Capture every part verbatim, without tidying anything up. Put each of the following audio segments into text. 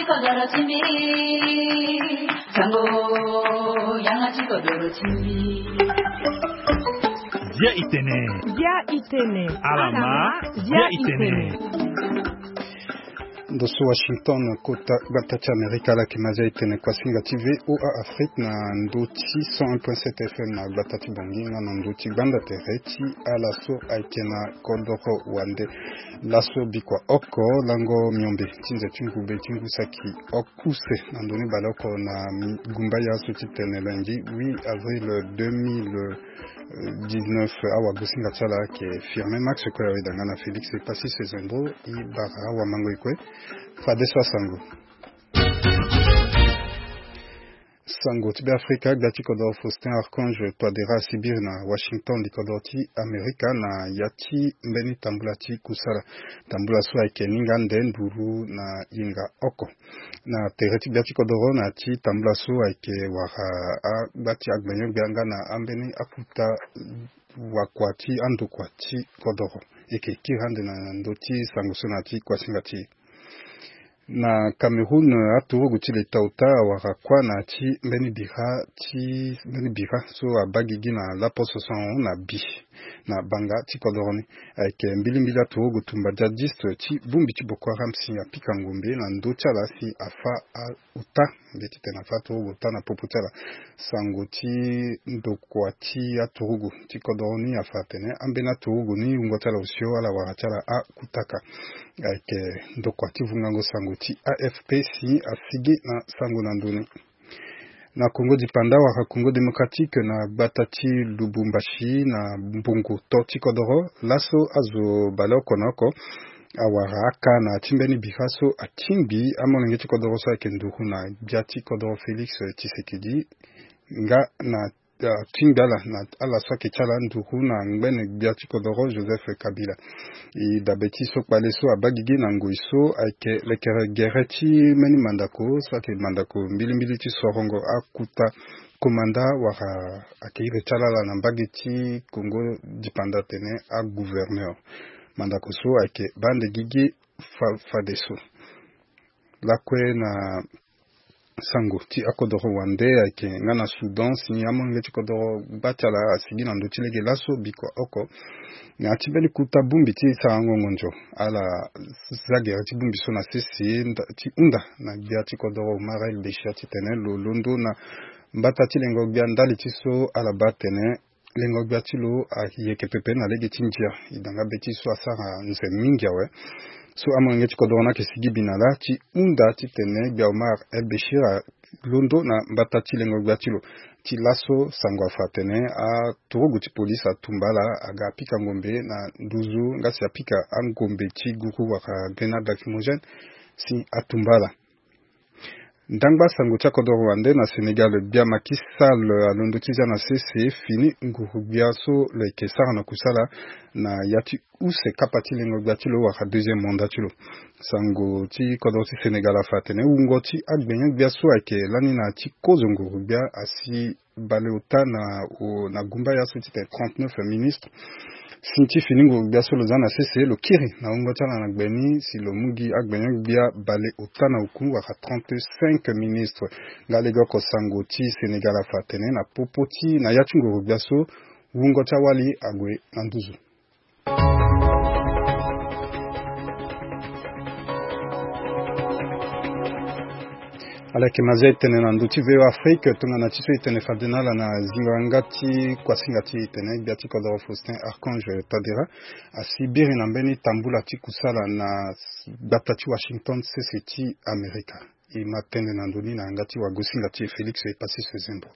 Kodoro ti mbi, sango, yanga ti kodoro ti mbi. Bia itene. Bia itene. Alama. Bia itene. Ndo so Washington, kota gbata ti Amerika, ala yeke ma zia itene kuasinga ti V O A Afrique na ndo ti cent un point sept F M na gbata ti Bangui nga na ndo ti gbanda tere ti ala so ayeke na kodoro wande. Laso bikua oko lango miombe ti nze ti ngube ti ngu saki oko use na ndoni baleoko na gumba ya so ti tene lundi huit avril deux mille dix-neuf. Awagosinga ti ala ayeke Firmin Max Koyaweda nga na Félix Passy Sezendro. E bara awamango e kue. Fadeso asango. Sango ti Beafrika, gbia ti kodoro Faustin Archange Touadéra asibiri na Washington, likodoro ti Amerika, na ya ti mbeni tambula ti kusala. Tambula so ayeke ninga nde nduru na yenga oko. Na tere ti gbia ti kodoro na ya ti tambula so ayeke wara agba ti agbenyo-gbia nga na ambeni akuta wakua ti andokua ti kodoro. E yeke kiri ande na ndö ti sango so na ya ti kuasinga ti e. Na Cameroun, aturugu ti leta ota awara kuâ na ya ti mbeni bira ti mbeni bira so abaa gigi na laposo so ahon na bi na banga ti kodoro ni. Ayeke mbilimbili aturugu tumba djihadiste ti bongbi ti Boko Haram si apika ngombe na ndö ti ala si afa a- ota. Mbi titene afa aturugu ota na popo ti ala. Sango ti ndokua ti aturugu ti kodoro ni afa atene ambeni aturugu ni wungo ti ala osio ala wara ti ala akutaka. Ayeke ndokua ti vungango sango ti A F P si asigi na sango na ndö ni. Na Congo dipanda wala Congo Démocratique na gbata ti Lubumbashi na mbongo to ti kodoro, laso azo baleoko na oko awara aka na ya ti mbeni bira so atingbi amolenge ti kodoro so ayeke nduru na gbia ti kodoro Félix Tshisekedi nga na, ah, atingbi ala na ala so ayeke ti ala nduru na ngbene gbia ti kodoro Joseph Kabila. E dabe ti so kpale so abaa gigi na ngoi so ayeke lekere gere ti mbeni mandako so ayeke mandako mbilimbili ti sorongo akuta komanda wala ayeke iri ti ala ala na mbage ti Congo dipanda atene agouverneur. Mandako so ayeke baa ande gigi fa- fadeso. Lakue na sango ti akodoro wande ayeke nga na Soudan si amolenge ti kodoro gba ti ala asigi na ndö ti lege laso bikua oko. Na ya ti mbeni kuta bongbi ti sarango ngonzo ala za gere ti bongbi so na sese nda- ti hunda na gbia ti kodoro Omar El Béchir titene lo londo na mbata ti lengo gbia ndali ti so ala baa atene lengo gbia ti lo ayeke pepe na lege ti ndia. E da nga be ti so asara nze mingi awe. So amolenge ti kodoro ni ayeke sigi bi na ala ti hunda titene gbia Omar El Béchir alondo na mbata ti lengo gbia ti lo. Ti laso sango afa atene aturugu ti polise atumba ala aga apika ngombe na nduzu nga si apika angombe ti guru wala grenade lacrymogène si atumba ala. Ndangba sango ti akodoro wande na Sénégal, gbia Macky Sall alondo ti zia na sese fini nguru gbia so lo yeke sara na kusala na ya ti use kapa ti lengo gbia ti lo wala deuxième mandat ti lo. Sango ti kodoro ti Sénégal afa atene wungo ti agbenyo gbia so ayeke lani na ya ti kozo nguru gbia asi baleota na, o, na gumba ya so ti tene trente-neuf ministres. Si ti fini nguru gbia so lo za na sese lo kiri na wungo ti ala na gbe ni si lo mu gi agbenyo gbia baleota na oku wala trente-cinq ministres. Nga lege oko sango ti Sénégal afa atene na popo ti na ya ti nguru gbia so wungo ti awali ague na nduzu. Ala yeke ma zia e tene na ndö ti V O A Afrique tongana ti so e tene fade na ala na zingo yanga ti kuasinga ti e tene gbia ti kodoro Faustin Archange Touadéra asi biri na mbeni tambula ti kusala na gbata ti Washington sese ti Amerika. E ma tene na ndö ni na yanga ti wagosinga ti e Félix Passy Sezendro.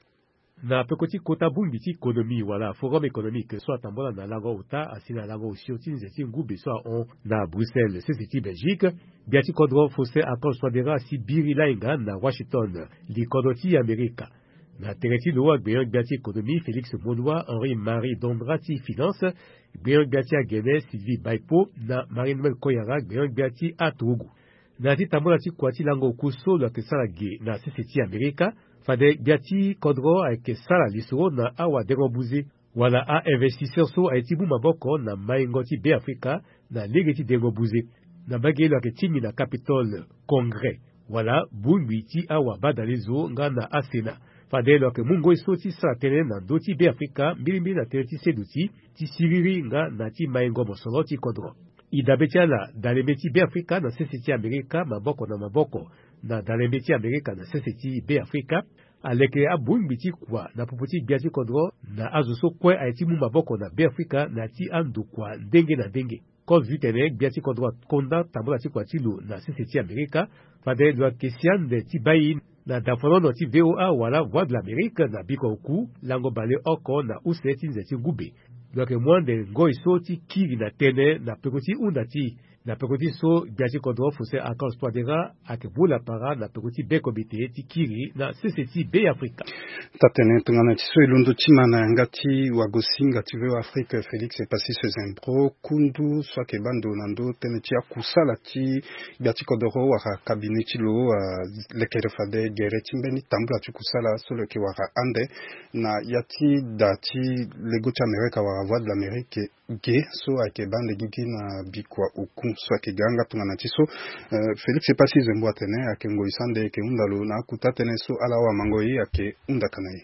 Na peko ti kota bongbi ti économie wala forum économique so atambola na lango ota asi na lango osio ti nze ti ngube so ahon na Bruxelles sese ti Belgique, gbia ti kodro Faustin Archange Touadéra asi biri lainga na Washington, likodro ti Amerika. Na tere ti lo agbenyo-gbia ti économie Félix Moloua, Henri Marie Dondra ti finance, gbenyo-gbia ti agene Sylvie Baipo na Marie Noëlle Koyara, gbenyo-gbia ti aturugu. Na ya ti tambula ti kua ti lango oku so lo yeke sara ge na sese ti Amerika, fade gbia ti kodro ayeke sara lisoro na awadengo buze wala a-investisseur so aye ti mu maboko na maingo ti Beafrika na lege ti dengo buze. Na mbage lo yeke tingbi na Capitole, Congrès. wala bongbi ti awabadalezo nga na aSena. Fade lo yeke mu ngoi so ti sara tënë na ndö ti Beafrika, mbilimbili na tënë ti seduti, ti siriri nga na ti maingo mosoro ti kodro. E dabe ti ala, dalembe ti Beafrika na sese ti Amerika, maboko na maboko na dalembe ti Amerika na sese ti Beafrika, aleke abongbi ti kua na popo ti gbia ti kodro na azo so kue aye ti mu maboko na Beafrika na ya ti andokua ndenge na ndenge. Kozo titene gbia ti kodro akonda tambula ti kua ti lo na sese ti Amerika. Fade lo yeke si ande ti bai na dafanono ti V O A wala Voix de l'Amérique na bikua oku lango baleoko na use ti nze ti ngube. Lo yeke mu ande ngoi so ti kiri na tënë na peko ti hunda ti e, na peko ti so gbia ti kodro Faustin Archange Touadéra ayeke mu lapara na peko ti be komite ti kiri na sese ti Beafrika. Taa-tënë tongana ti so e londo ti ma na yanga ti wagosinga ti V O A Afrique, Félix Epassis Zembro, kundu so ayeke baa ndo na ndö tënë ti akusala ti gbia ti kodoro wala cabinet ti lo, ah, lekere fade gere ti mbeni tambula ti kusala so lo yeke wara ande na ya ti da ti lego ti Amerika wala Voix de l'Amérique ge so ayeke baa ande gigi na bikua oku so ayeke ga yanga tongana ti so. Eh, Félix Epassis Zembro atene ayeke ngoi so ande e yeke hunda lo na akota tënë so ala awamango e ayeke hunda ka na e.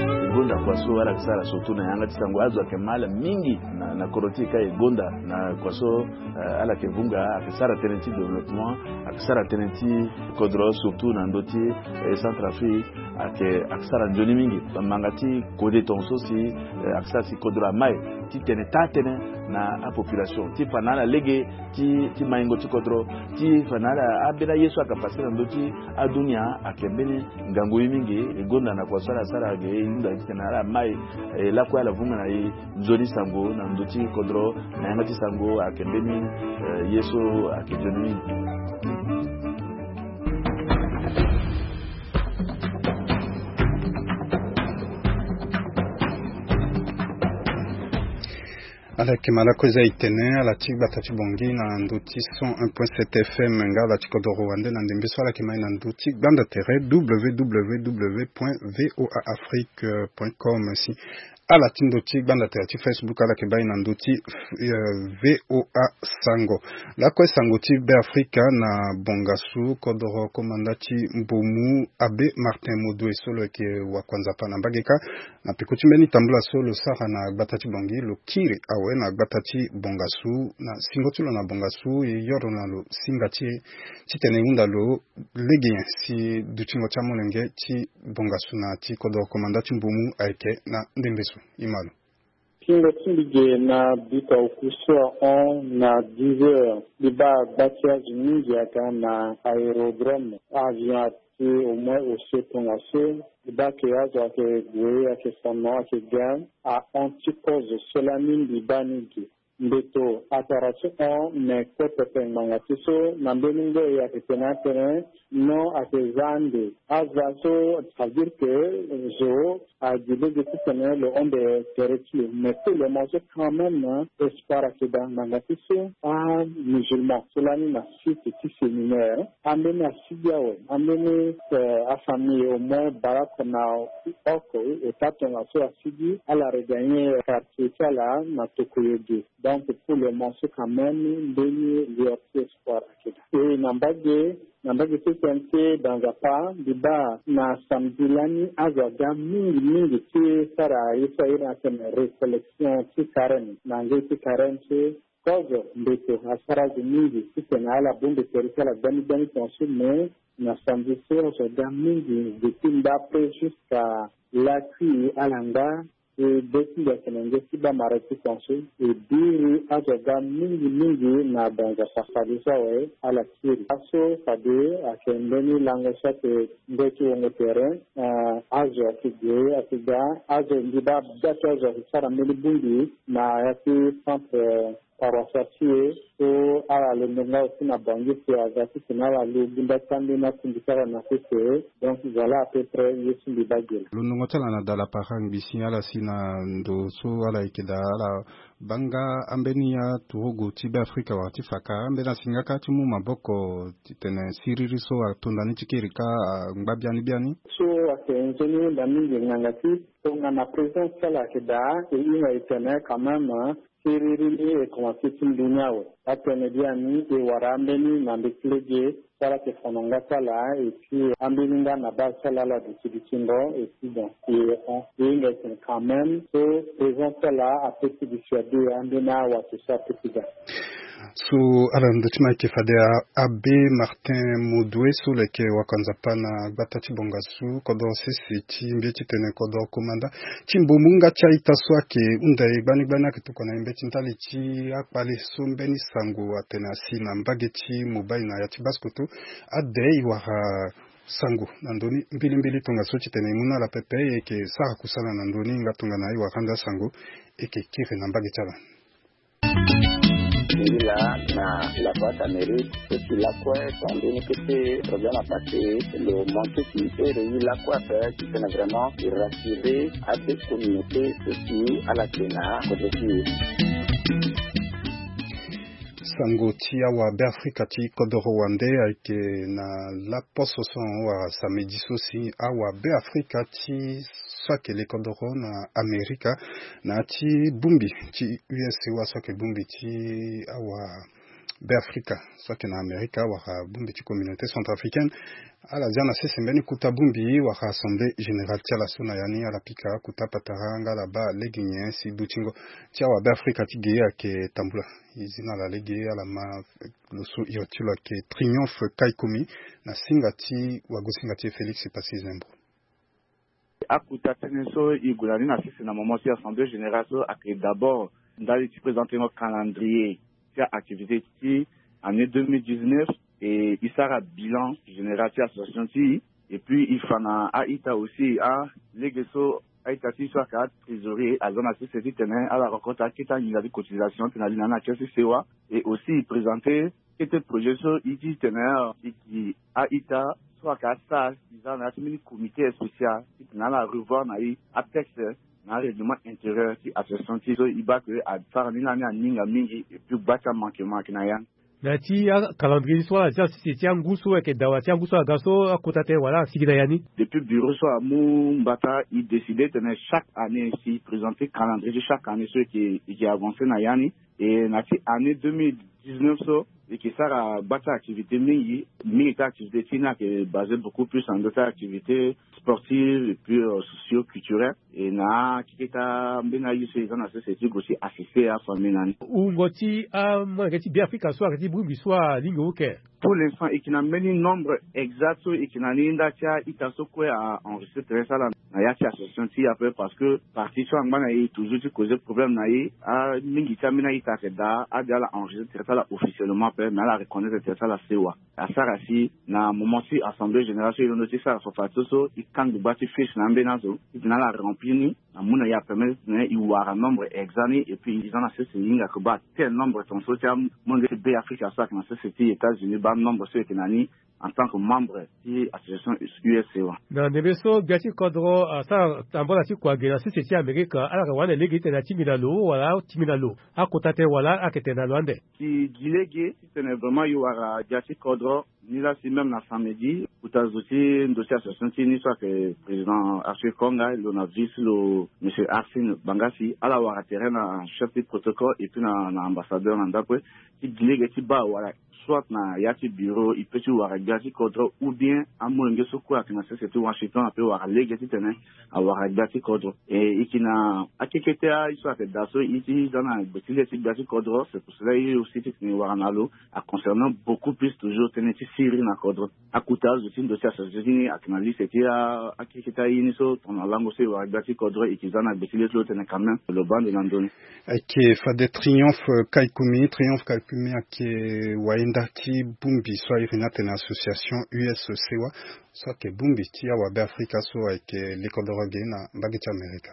E gonda kua so ala yeke sara surtout na yanga ti sango, azo ayeke ma ala mingi na, na kodro ti e ka e gonda na kua so, eh, ala yeke vunga, ayeke sara tënë ti développement, ayeke sara tënë ti kodro surtout na ndö ti, eh, Centrafrique, ayeke, ayeke sara nzoni mingi. Manga ti kode tongaso si, eh, ayeke sara si kodro amai titene taa-tënë na apopulation ti fa na ala lege ti, ti maingo ti kodro, ti fa na ala, ambeni aye so ayeke pase na ndö ti adunia ayeke mbeni ngangu ye mingi. E gonda na kua so ala sara ge, e hunda titene ala mai, eh, lakue ala vunga na e nzoni sango na ndö ti kodro, na yanga ti sango ayeke mbeni, eh, ye so ayeke nzoni mingi. Ala yeke ma lakue za e tene ala ti gbata ti Bangui na ndö ti cent un point sept F M nga ala ti kodoro wande na ndembe so ala yeke ma e na ndö ti gbanda tere www point voa afrique point com. Si ala ti ndö ti gbanda tere ti Facebook, ala yeke baa e na ndö ti, eh, V O A Sango. Lakue sango ti Beafrika na bongasu, kodoro komanda ti Mbomu Abbé Martin Modoue so lo yeke wakua Nzapa na mbage kâ, na peko ti mbeni tambula so lo sara na gbata ti Bangui, lo kiri awe na gbata ti bongasu, na singo ti lo na bongasu, e yoro na lo singa ti e titene e hunda lo lege nyen si dutingo ti amolenge ti bongasu na ti kodoro komanda ti Mbomu ayeke na ndembe so. E ma lo. Pingo ti mbi ge na bikua oku so ahon na dix heures, mbi baa gba ti azo mingi aga na aérodrome. Avion ati au moins osio tongaso. Mbi baa ke azo ayeke gue, ayeke fa no, ayeke ga. Ahon ti kozo so lani mbi baa ni ge. Mbeto atara ti hon, me kue pepe ngbanga ti so na mbeni ngoi ayeke tene atene non, ayeke za ande. Aza so, ça veut dire que zo agi lege titene lo hon nde tere ti lo. Mais pour le moment so quand même, espoir ayeke daa ngbanga ti so amusulman so lani na site ti séminaire, ambeni asigi awe, ambeni, eh, afamille au moins bale oko na oko, ota tongaso asigi, ala regagner quartier ti ala na tokoyo ge. Donc pour le moment so quand même, mbeni lueur ti espoir ayeke daa. E na mbage, na mbage ti tene ti da Nzapa, mbi baa na samedi lani azo aga mingi mingi ti sara ye so a iri atene récollection ti carême. Na ngoi ti carême so, kozo mbeto asara azo mingi titene ala bongbi tere ti ala gbani gbani tongaso, mais na samedi so azo aga mingi depuis nda après jusqu'à lakui ala nga. E be ti mbi ayeke na nge ti baa mara ti tongaso, e biri azo aga mingi mingi na da Nzapa fade so awe ala kiri. Aso fade ayeke mbeni lango so ayeke nde ti wongo tere, eh, azo ayeke gue, ayeke ga, azo mbi baa da ti azo ayeke sara mbeni bongbi na ya ti centre, eh, paroissial ti e, so ala londo nga aussi na Bangui si aga titene ala lo gunda ti ambeni akundi ti ala na sese. Donc voilà à peu près ye ti mbi baa ge laa. Londongo ti ala na da lapara ngbi si ala si na ndo so ala yeke daa, ala baa nga ambeni aturugu ti Beafrika wala ti fa ka, ambeni asi nga kâ ti mu maboko titene siriri so atonda ni ti kiri kâ angba biani biani. So ayeke nzoni hunda mingi ngbanga ti tongana président ti ala ayeke daa, e hinga e tene quand même, siriri ni e komanse ti ndu ni awe. Atene biani e wara ambeni na mbeti lege so ala yeke fa na nga ti ala, et puis ambeni nga na baa so ala ala duti dutingo, et puis bon, e e hinga e tene quand même so présence ti ala ape ti gi fade ambeni awato so ape ti ga. So ala na ndö ti ma ayeke fade, abbé Martin Modoue so lo yeke wakanzapa na gbata ti bongasu kodoro sese ti mbeti titene kodoro komanda ti mbomu nga ti a-ita so ayeke hunda e gbani gbani ayeke tokua na e mbeti ndali ti akpale so mbeni sango atene asi na mbage ti mobali na ya ti basse-kotto. Ade e wara sango na ndö ni mbilimbili tongaso titene e mu na ala pepe e yeke sara kusala na ndö ni nga tongana e wara ande asango e yeke kiri na mbage ti ala. Ngi laa na la Voix d'Amérique so si lakue tonga ni kete problème apase lo manke si ere i lakue ape titene vraiment e rassurer abe communauté so si ala yeke na kodro ti e. Sango ti awabe afrika ti kodoro wande ayeke na laposo so wala samedi so si awabe afrika ti so ayeke le kodoro na amerika na ya ti bongbi ti U S A wa so ayeke bongbi ti awabe afrika so ayeke na amerika wala bongbi ti communauté centrafricaine. Ala zia na sese mbeni kota bongbi wala assemblée générale ti ala so na ya ni ala pika kota patara nga ala baa lege nyen si dutingo ti awabe afrika ti ge ayeke tambula. E zi na ala lege ala ma lo so iri ti lo ayeke Triomphe Kaikumi na singa ti wagosinga ti e Félix Passy Zembro. Akota tënë so e gue na ni na sese na moment ti assemblée générale so ayeke d'abord ndali ti présentengo calendrier ti a-activité ti année deux mille dix-neuf, e e sara bilan général ti association ti e. Et puis e fa na a-ita aussi a lege so a-ita ti e so ayeke atrésorier aza na sese titene ala rencontre akete anginza ti cotisation titene ali na ni na kese sewa. Et aussi e présenter kete projet so e ti tene e gi a-ita so ayeke asara e za na ya ti mbeni comité spécial titene ala revoir na e atexte na arèglement intérieur ti association ti e so e baa ke asara ni lani aninga mingi et puis gba ti amanquement ayeke na ya ni. Na ya ti acalendrier ni so ala zia na sese ti angu so ayeke dawa ti angu so aga so akota tënë wala asigi na ya ni. Depuis bureau so amu mbata e décider tene chaque année si e présenter calendrier ti chaque année so e yeke avance na ya ni. Et na ti année deux mille dix-neuf so e yeke sara gba ti activité mingi. Mingi ti activité ti e ni ayeke basé beaucoup plus na ndö ti activité sportive et puis socio-culturelle. Et na akeketa mbeni aye so e za na sese ti gue ti assister afamille na ni. Wungo ti amolenge ti Beafrika so ayeke ti bongbi so alingbi wuke. Pour l'instant e yeke na mbeni nombre exact so e yeke na ni nda ti a-ita so kue a-enregistré tere ti ala na ya ti association ti e ape parce que partie so angba na e toujours ti causer problème na e. Amingi ti ambeni a-ita ayeke daa ade ala enregistré tere ti ala officiellement ape mais ala reconnaître tere ti ala sewa. Asara si na moment ti assemblée générale so e londo ti sara fafa so so e kangbi gba ti fiche na ambeni azo titene ala remplir ni. Amu na e apermettre titene e wara nombre exact ni et puis e za na sese e hinga ke baa tel nombre tongaso ti amolenge ti Beafrika so ayeke na sese ti États-Unis baa nombre so e yeke na ni en tant que membre ti association U S A wa. Na ndembe so gbia ti kodro asara tambala ti kua ge na sese ti Amerika ala yeke wande lege titene atimi na lo wala atimi na lo akota tënë wala ala yeke tene na lo ande. E gi lege titene vraiment e wara gbia ti kodro. Ni la si même na samedi kota zo ti ndo ti association ti e ni so ayeke président Arthur Konga lo na vice ti lo monsieur Arsène Bangasi ala wara tere na chef ti protocole et puis na ambassadeur na ndakue ti gi lege ti baa wala soit na ya ti bureau e peut ti wara gbia ti kodro ou bien amolenge so kue ayeke na sese ti Washington ape wara lege titene awara gbia ti kodro. E e yeke na akekete aye so ayeke daa so e ti za na gbe ti le ti gbia ti kodro c'est pour cela e aussi titene e wara na lo. A concernant beaucoup plus toujours tënë ti siriri na kodro. Akota azo ti ndo ti association ti ni ayeke na liste ti akekete aye ni so tongana lango so e wara gbia ti kodro e yeke za na gbe ti le ti lo tene quand même lo baa ndo na ndoni. Ayeke fade Triomphe Kaikumi. Triomphe Kaikumi ayeke wainda ti bongbi so a iri ni atene association U S A wa so ayeke bongbi ti awabe afrika so ayeke le kodoro ge na mbage ti Amerika.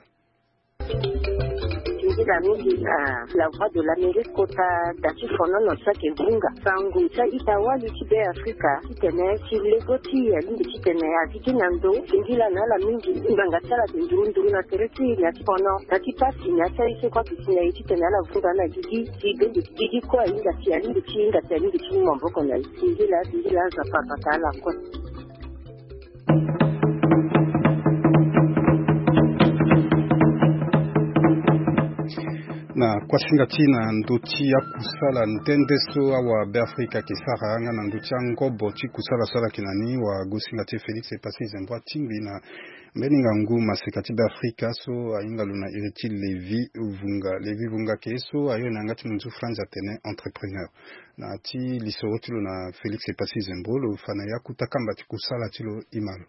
Nzila mingi na La Voix de l'Amérique kota da ti fonono so ayeke vunga sango ti a-ita wali ti Beafrika titene ti lego ti e alingbi titene a gigi na ndo singila na ala mingi. Ngbanga ti ala ayeke nduru nduru na tere ti e na ya ti fono na ti pasi na ya ti aye so kue ayeke si na e titene ala vunga na gigi. Si bende ti gigi kue ahinga si alingbi ti hinga si alingbi ti mu maboko na e. Singila singila Nzapa abata ala kue. Na Akuasinga ti na ndö ti akusala nde nde so awa Beafrika ayeke sara nga na ndö ti angobo ti kusala so ala yeke na ni, wagosinga ti e Félix Epassi Zembro atingbi na mbeni ngangu maseka ti Beafrika so ahinga lo na iri ti Lévi Vunga. Lévi Vunga ayeke ye so ayo na yanga ti munzu France atene entrepreneur. Na ya ti lisoro ti lo na Félix Epassi Zembro, lo fa na e akota kamba ti kusala ti lo, e ma lo.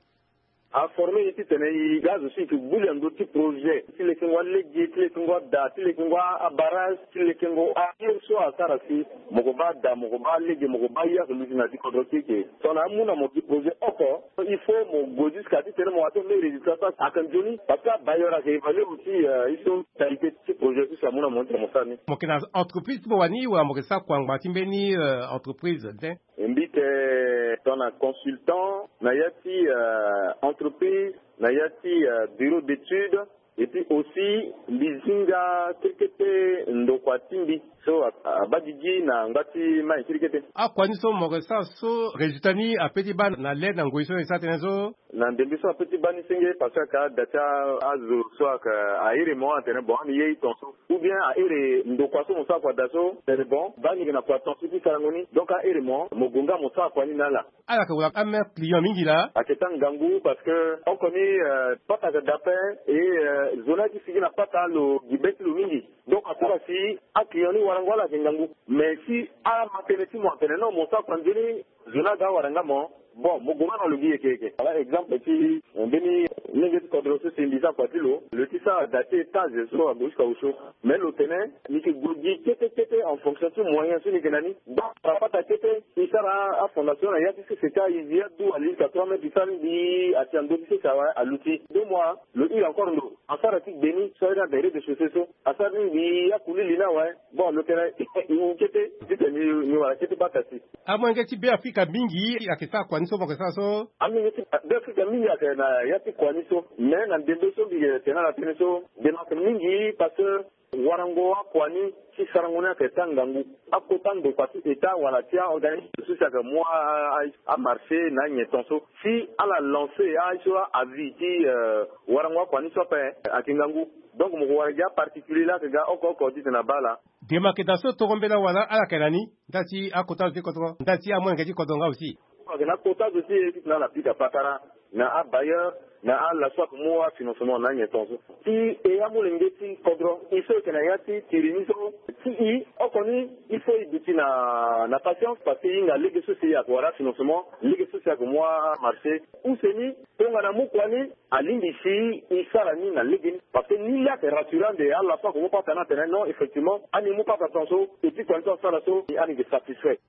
Aforme e titene e ga azo so e yeke gbu li na ndö ti projet ti lekengo alege, ti lekengo ada, ti lekengo abarrage, ti lekengo aye so asara si mo ko baa ada, mo ko baa lege, mo ko baa ye ake luti na ya ti kodro ti e eke. Tongana amu na mo gi projet oko, il faut mo gue jusqu'à titene mo atteindre mbeni résultat so ayeke nzoni. Parce que abailleur ayeke évaluer aussi, euh, ye so qualité ti projet so si amu na mo titene mo sara ni. Mo yeke na entreprise ti mo wani wala mo yeke sara kua ngbanga ti mbeni, euh, entreprise tene? Mbi yeke tongana consultant na ya ti, euh, entreprise, na ya ti, euh, bureau d'étude, et puis aussi mbi zi nga kete kete ndokua ti mbi so a- abaa gigi na ngba ti mai kiri kete. Akua ni so mo yeke sara so résultat ni ape ti baa na le na ngoi so e sara tënë so? Na ndembe so ape ti baa ni senge, parce que ayeke ada ti azo so ayeke ahere mo atene bon, ani ye e ton so. Ou bien ahere ndokua so mo sara kua daa so, tene bon, baa ni yeke na kua ton so ti sarango ni. Donc ahere mo, mo gue nga mo sara kua ni na ala. Ala yeke wara amere client mingi laa? Ayeke taa ngangu parce que oko ni, euh, pata ayeke daa ape, et, euh, zo ni ayeke sigi na pata lo gi be ti lo mingi. Donc asara si aclient ni warango ala yeke ngangu. Mais si ama tënë ti mo atene non, mo sara kua nzoni, zo ni aga awara nga mo. Bon, mo gue nga na lo gi yeke yeke. Wala exemple ti, eh, mbeni lenge ti kodro so si mbi sara kua ti lo, lo ti sara da ti étage so ague jusqu'à au chaud. Mais lo tene ni yeke gue gi kete kete en fonction ti moyen so ni yeke na ni. Donc apata kete e sara afondation na ya ti sese ti ayizi adu ali jusqu'à trois mètres, e sara ni mbi ati na ndö ti sese awe aluti. Deux mois lo hile encore ndo asara ti gbe ni so aye ni ada rez-de-chaussée so. Asara ni mbi akuli li ni awe. Bon, lo tene e wu kete titene ni wara kete bata si. Amolenge ti Beafrika mingi ayeke sara kua ni so mo yeke sara so? Amolenge ti Beafrika mingi ayeke na ya ti kua ni so. Mais na ndembe so mbi yeke tene ala tënë so, ndembe ayeke mingi parce que warango akua ni ti sarango ni ayeke taa ngangu. Akota ndokua ti État wala ti aorganisme so si ayeke mu a- a- amarché na anyen ton so, si ala lancer aye so a- avis ti, euh, warango akua ni so ape ayeke ngangu. Donc mo ko wara gi aparticulier laa ayeke ga oko oko titene abaa ala. Dema ayeke daa so toro mbela wala ala yeke na ni ndali ti akota zo ti kodro, ndali ti amolenge ti kodro nga aussi? Ayeke na akota zo ti e titene ala pika patara na abailleur na ala so ayeke mu afinancement na anyen ton so. Si e amolenge ti kodro, e so e yeke na ya ti tiri ni so, si e oko ni, il faut e duti na na patience parce que e hinga lege so si ayeke wara afinancement, lege so si ayeke mu amarché. Use ni, tongana amu kua ni, alingbi si e sara ni na legeni. Parce que ni laa ayeke rassurant ande ala so ayeke mu pata ni atene non, effectivement ani mu pata ton so, et puis kua ni so asara so ani yeke satisfait.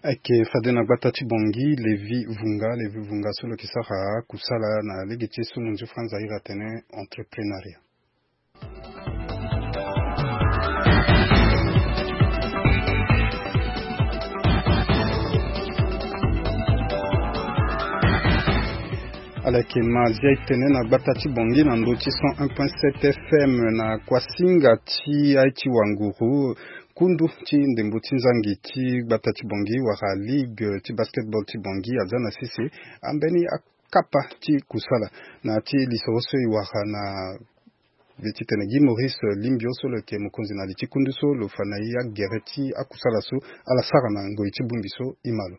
Ayeke fade na gbata ti Bangui, Lévi Vunga, Lévi Vunga so lo yeke sara kusala na lege ti e so munzu France a iri atene entreprenariat. Ala yeke ma zia e tene na gbata ti Bangui na ndö ti cent un point sept F M na kuasinga ti aye ti wanguru. Kundu ti ndembo ti nzangi ti gbata ti Bangui wala ligue ti basketball ti Bangui aza na sese ambeni akapa ti kusala. Na ya ti lisoro so e wara na be ti tene Guy Maurice Limbio so lo yeke mokonzi na li ti kundu so, lo fa na e agere ti akusala so ala sara na ngoi ti bongbi so. E ma lo.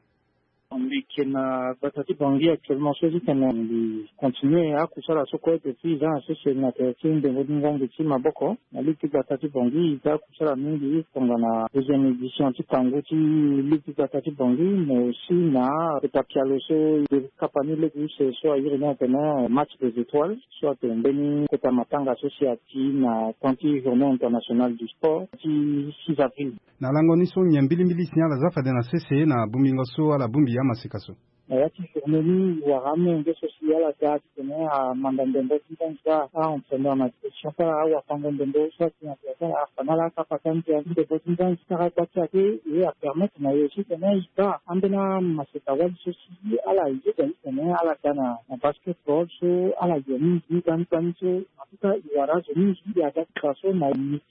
Mbi yeke na gbata ti Bangui actuellement so ti tene mbi continue akusala so kue, et puis e za na sese na tere ti ndembo ti nzangi ti maboko. Na ligue ti gbata ti Bangui e za akusala mingi tongana deuxième édition ti kangu ti ligue ti gbata ti Bangui, mais aussi na kota pialo so e kapa ni lege use so a iri ni atene match des étoiles, so atene mbeni kota matanga so si ati na temps ti journée internationale du sport ti six avril. Na lango ni so nyen mbilimbili si ala za fade na sese na bongbingo so ala bongbi amaseka so? Na ya ti journée ni e wara amolenge so si ala ga titene amanda ndembo ti nzangi, a-entraîneur na direction ti ala, awafango ndembo so ati na direction, afa na ala akapa ti ndembo ti nzangi ti sara gba ti ake. E apermettre na e aussi titene e baa ambeni amaseka wali so si ala yeda titene ala ga na basketball so ala ye mingi ni gbani gbani so. En tout cas e wara azo mingi e aga ti fa so na midi.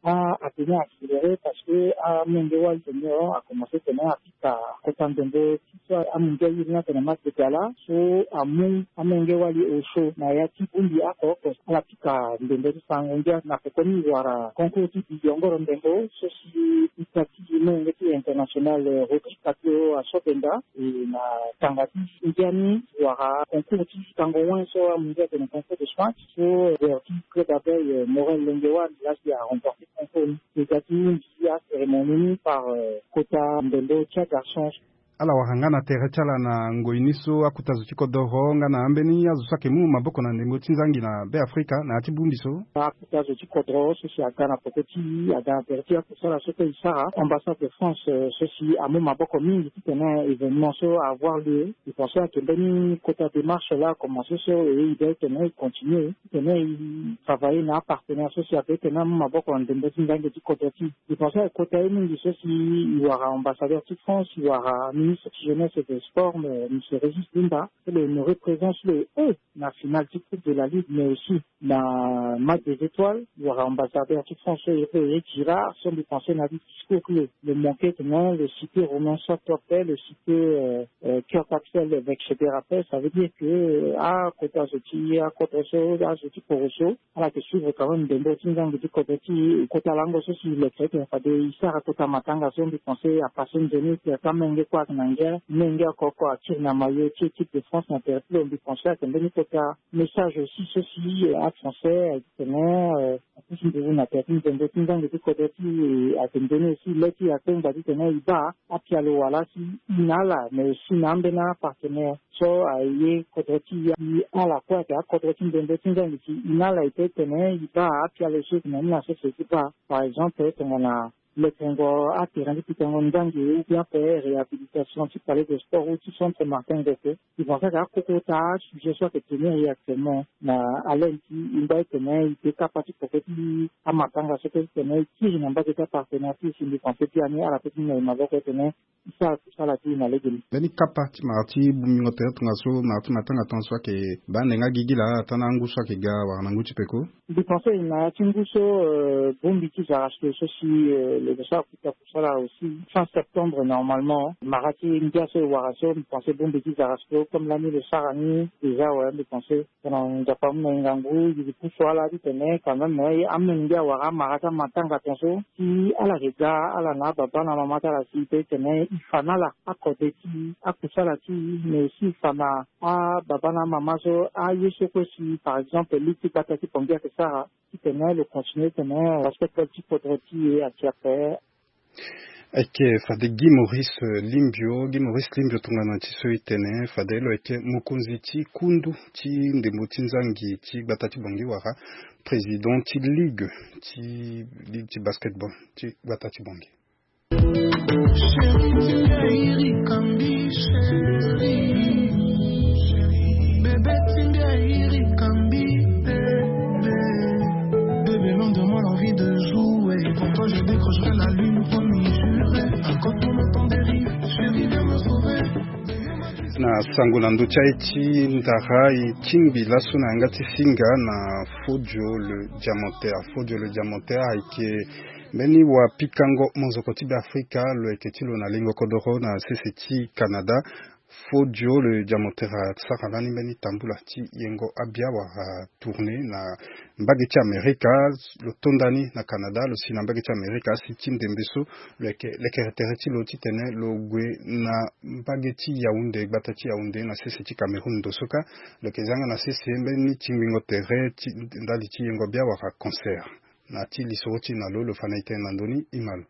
A atene accéléré parce que amolenge wali tene a commencé tene apika kota ndembo ti So amungia iri ni atene match de gala so amu amolenge wali osio na ya ti bongbi oko oko. Ala pika ndembo ti sango ngia na peko ni wara concours ti biyongoro ndembo so si ita ti molenge ti international Rodrigue Capio asobenda. E na tanga ti ngia ni wara concours ti sango wen so amungia atene concours de smash so joueur ti club abeille Morel Lengewan la si aremporte concours ni. Ita ti mbi acérémonie ni par kota ndembo ti agarçon. Ala wara nga na tere ti ala na ngoi ni so akota zo ti kodoro nga na ambeni azo so ayeke mu maboko na ndembo ti nzangi na Be Afrika na ya ti bongbi so. Akota zo ti kodoro so si aga na peko ti aga na tere ti akusala so kue e sara ambassade de France so si amu maboko mingi titene événement so avoir lieu. E pense ayeke mbeni kota démarche la akomanse so e e be titene e continue titene e travailler na apartenaire so si abe titene amu maboko na ndembo ti nzangi ti kodro ti e. E pense ayeke kota ye mingi so si e wara ambassadeur ti France, e wara ministre ti jeunesse et de sport, monsieur Régis Limba, so lo honoré présence lo e na finale ti coupe de la ligue mais aussi na match des étoiles. E wara ambassadeur ti France so e pe e Girard so mbi pense na li discours ti lo, lo manqué titene lo cité Romain Sot ape, lo cité Kurt Axel avec Chedera ape. Ça veut dire que akota zo ti akodro so, azo ti koro so, ala yeke suivre quand même ndembo ti nzangi ti kodro ti e. Kota lango so si lo yeke titene fade e sara kota matanga so mbi pense apasse nzoni ti amolenge kue ayeke na ngia, molenge oko oko atire na maillot ti équipe de France na tere ti lo. Mbi pense ayeke mbeni kota message aussi so si afrançais ayeke titene apusu nduru na tere ti ndembo ti nzangi ti kodro ti e. Ayeke nzoni aussi le ti akpengba titene e baa apialo wala si e na ala mais aussi na ambeni apartenaire so aye kodro ti e. Ala kue ayeke akodro ti ndembo ti nzangi si e na ala e pe tene e baa apialo so e yeke na ni na sese ti baa. Par exemple tongana lekengo aterrain ti pikango nzangi ou bien ape réhabilitation ti palais de sport ou ti centre Martin Ngoke. E pense ayeke akokota asujet so ayeke tenir e actuellement na haleine ti e ngba ti tene e te kapa ti poko ti amatanga so kue ti tene e kiri na mbage ti apartenaire ti e si mbi pense biani ala pe ti mu na e maboko ti tene e sara kusala ti e na legeni. Mbeni kapa ti mara ti bongbingo tere tongaso mara ti matanga tongaso ayeke baa nde nga gigi laa ata na angu so ayeke ga wala na ngu ti peko. Mbi pense na ya ti ngu so bongbi ti Zarasco so si lo yeke sara kota kusala aussi fin septembre normalement. Mara ti ngia so e wara so mbi pense bongbi ti Zarasco comme lani lo sara ni déjà awe mbi pense. Tongana Nzapa amu na e ngangu e pusu ala titene quand même amolenge awara amara ti amatanga tongaso si ala yeke ga ala na ababa na amama ti ala si e pe titene e fa na ala akode ti akusala ti e mais aussi e fa na ababa na amama so aye so kue si par exemple ligue ti gbata ti Bangui ayeke sara titene lo continue titene basketball ti kodro ti e ati ape. Ayeke fade Guy Maurice Limbio, Guy Maurice Limbio tongana ti so e tene fade lo yeke mokonzi ti kundu ti ndembo ti nzangi ti gbata ti Bangui wala président ti ligue ti ligue ti basketball ti gbata ti Bangui. Chérie, ti ngai rikambi, chérie. Bébé, ti ngai rikambi, bébé. Bébé, loin de moi l'envie de jouer. Pour toi, je décrocherai la lune, promis, juré. Encore pour le temps des rires, chérie, viens me sauver. Na sango na ndö ti aye ti ndara e tingbi laso na yanga ti singa na Fodio le Diamantaire. Fodio le Diamantaire ayeke mbeni wapikango monzoko ti Beafrika lo yeke ti lo na lingo kodoro na sese ti Canada. Fodio le Diamantaire asara lani mbeni tambula ti yengo abia wala tournée na mbage ti Amerika. Lo tonda ni na Canada, lo si na mbage ti Amerika asi ti ndembe so lo yeke lekere tere ti lo titene lo gue na mbage ti Yaoundé, gbata ti Yaoundé na sese ti Cameroun. Ndo so kâ lo yeke zia nga na sese mbeni tingbingo tere ti ndali ti yengo bia wala concert. Na ti lisoro ti na lo lo fa na e tënë na ndö ni, e ma lo.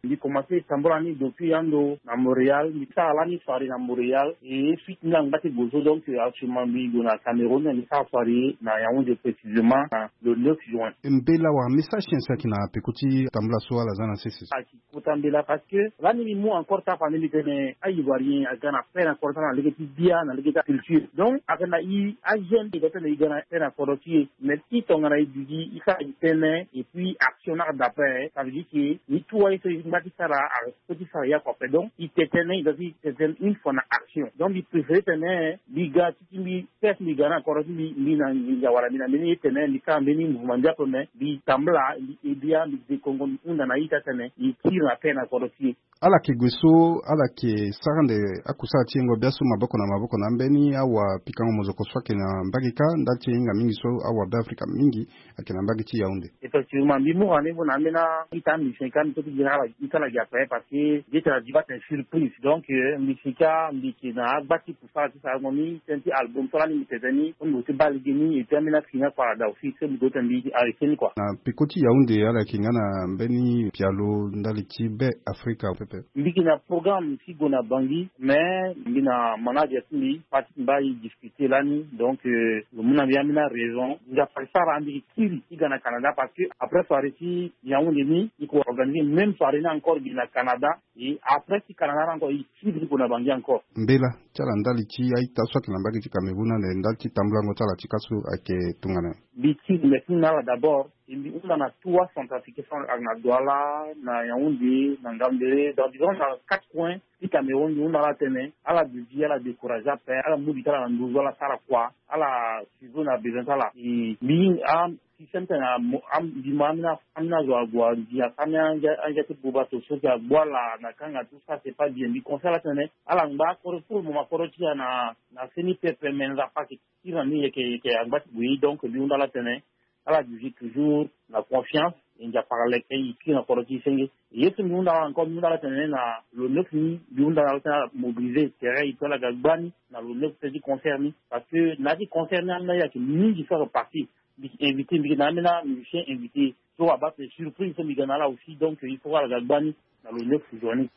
Mbi komanse tambula ni depuis ando na Montréal, mbi sara lani soirée na Montréal, e suite ni angba ti gue so, donc actuellement mbi gue na Cameroun, mbi sara soirée na Yaoundé précisément na le neuf juin. Mbela wala message ti nyen si ayeke na peko ti tambula so ala za na sese so? Ayeke kota mbela parce que lani mbi mu encore ti afa ni mbi tene a-Ivoirien aga na peine encore ti ala na lege ti bia na lege ti aculture. Donc ayeke na e ajeune e doit tene e ga na peine na kodro ti e. Mais si tongana e duti e sara gi tënë et puis action ni ayeke d'après, ça veut dire que ni tout aye so e Ti sara a, ti sara ya kua ape. Donc i tene tënë, i doit ti tene tënë une fois na action. Donc mbi préféré tene mbi ga ti mbi, test mbi ga na koro ti mbi, mbi na nginza wala mbi na mbeni ye tene mbi sara mbeni mouvement ndia ape, me mbi tambula, mbi ebia, mbi dekongo, mbi hunda na ita tene mbi tire na paix na koro ti e. Ala yeke gue so, ala yeke sara ande akusala ti yengo bia so maboko na maboko na ambeni awapikango mozoko so ayeke na mbage kâ, ndali ti e hinga mingi so awabeafrika mingi ayeke na mbage ti Yaoundé. Effectivement, mbi mu rendez-vous na ambeni a-ita musicien kâ, mbi so ti gi na ala, ita ala gi ape, parce que mbi tene mbi baa tene surprise. Donc euh, mbi si kâ mbi yeke na agba ti kusala ti sarango ni, tënë ti album so lani mbi tene ni, so mbi gue ti baa lege ni, et puis ambeni afini akua ala daa aussi, so mbi gue tene mbi arrêté ni kua. Na peko ti Yaoundé, ala yeke nga na mbeni pialo ndali ti Be Afrika pepe? Mbi yeke na programme ti gue na Bangui, mais mbi na manager ti mbi, parti ti mbi baa e discuter lani. Donc euh, lo mu na mbi ambeni araison. Nzapa asara mbi yeke kiri ti ga na Canada, parce que après soirée ti Yaoundé ni, e ko organiser même soirée ni encore gi na Canada. Et après ti Canada ni encore, e kiri ti gue na Bangui encore. Mbela ti ala ndali ti a-ita so ayeke na mbage ti Cameroun ande ndali ti tambulango ti ala ti kâ so ayeke tongana nyen? Mbi tiri mbi na ala d'abord, e mbi hunda na trois centrafricains so ayeke na Douala, na Yaoundé, na Ngaoundéré, donc disons na quatre coins ti Cameroun. Mbi hunda ala tene ala duti, ala décourager ape, ala mu li ti ala na nduzu, ala sara kua, ala suivre na besoin ti ala. E mbi a système tene a mo, a mbi ma ambeni, ambeni azo ague angia, ambeni angia, angia ti buba to so si agbu ala na kanga, tout ça c'est pas bien. Mbi conseil ala tene ala ngba koro pour le moment, koro ti ala na, na seni pepe, me Nzapa ayeke kiri na ni, e yeke, e yeke angba ti gue. Donc mbi hunda ala tene ala duti toujours na confiance, e Nzapa aleke e kiri na koro ti e senge. Ye so mbi hunda ala encore, mbi hunda ala tene na lo neuf ni, mbi hunda ala tene ala mobiliser terrain, e to ala ga gba ni na lo neuf ti concert ni, parce que na ya ti concert ni ambeni aye ayeke mingi so ayeke parti. Mbi invité, mbi yeke na ambeni amusicien invité so abaa tene surprise so mbi ga na ala aussi. Donc il faut ala ga gba ni na lo neuf journée.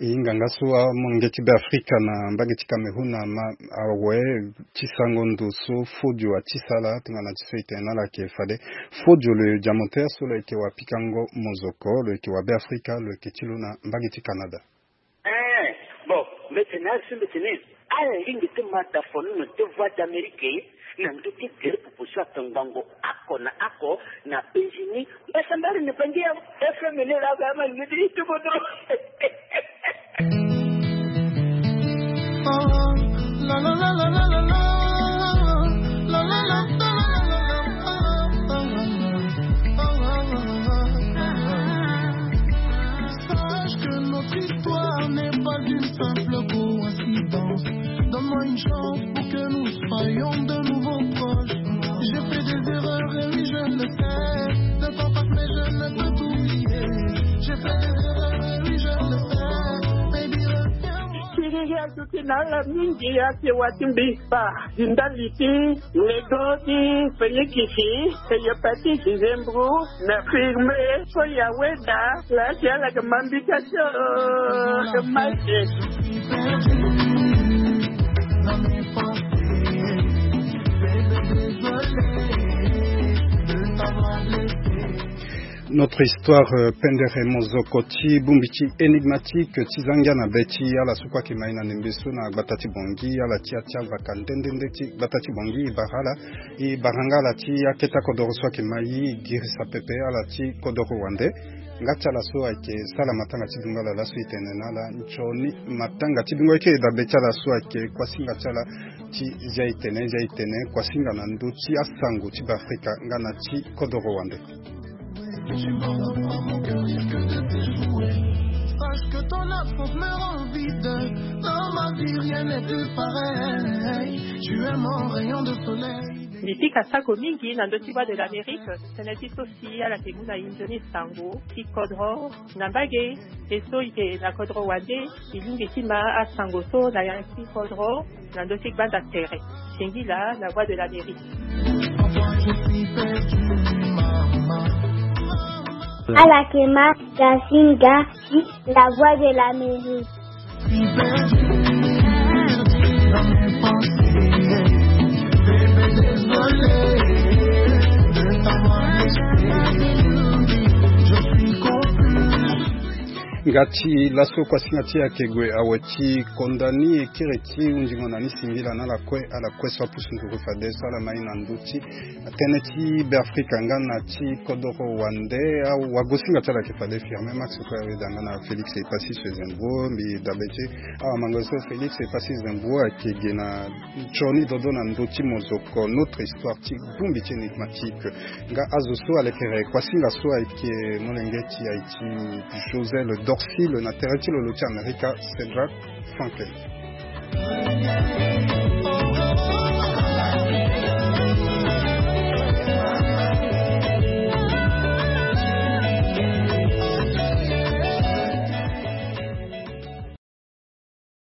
E hinga nga so amolenge ti Be Afrika na mbage ti Cameroun ama awe ti sango ndo so Fodio atisa ala tongana ti so e tene na ala ayeke fade. Fodio, lo diamantaire so lo yeke wapikango mozoko, lo yeke wa Be Afrika, lo yeke ti lo na mbage ti Canada. Eh, bon, mbi tene na ala so mbi tene ala lingbi ti ma dafo ni na deux voix d'Amérique na ndö ti gere popo so atongbango oko na oko na Benjini. Mbasambala na Bandia, F M ni la ba ma ni ti tumo dro. Sache que notre histoire n'est pas une simple coïncidence. Donne-moi une chance pour que nous soyons de nouveau proches. J'ai fait des erreurs et oui, je le sais. Le temps passe, mais je ne peux t'oublier. J'ai fait des erreurs et oui, je le sais. Baby, reviens-moi. Siriri aduti na ala mingi, ake wa ti mbi ba. Ndali ti lego ti fenikisi, hépatite, zembro, na firme, so ya weda, la ti ala ke mambi ka so, ke mate. Notre histoire, euh, pendere mozoko ti bongbi ti énigmatique ti zangia na be ti ala so kue ayeke mai na ndembe so na gbata ti Bangui, ala ti atia vaka nde nde nde ti gbata ti Bangui, e bara ala, e bara nga ala ti akete akodoro so ayeke mai, e girisa pepe ala ti kodoro wande. Nga ti ala so ayeke sala matanga ti dungo ala laso, e tene na ala nzoni matanga ti dungo ayeke dabe ti ala so ayeke kuasinga ti ala ti zia e tene, zia e tene kuasinga na ndö ti asango ti Beafrika nga na ti kodoro wande. Sache que ton absence me rend vide. Dans ma vie, rien n'est plus pareil. Tu es mon rayon de soleil. Mbi pika sako mingi na ndö ti Voix de l'Amérique, tënë ti so si ala yeke mu na e nzoni sango ti kodro na mbage, e so e yeke na kodro wande, e lingbi ti ma asango so na yanga ti kodro na ndö ti gbanda tere. Singila na Voix de l'Amérique. Ala yeke ma Gasinga ti La Voix de l'Amérique. Ga ti laso kuasinga ti e ayeke gue awe ti konda ni e kiri ti hunzingo na ni singila na ala kue, ala kue so apusu nduru fade so ala ma ye na ndö ti tënë ti Beafrika nga na ti kodoro wande. Awagosinga ti ala ayeke fade Firmin Max kue aweda nga na Félix Epassi so e zi mbuo mbi dabe ti e. Awamango so Félix Epassi e zi mbuo ayeke ge na Nsioni dodo na ndö ti mozoko, notre histoire ti bongbi ti énigmatique. Nga azo so alekere kuasinga so ayeke molenge ti aye ti José le Dorcile na tere ti lolo ti Amerika, Cédric Franklin.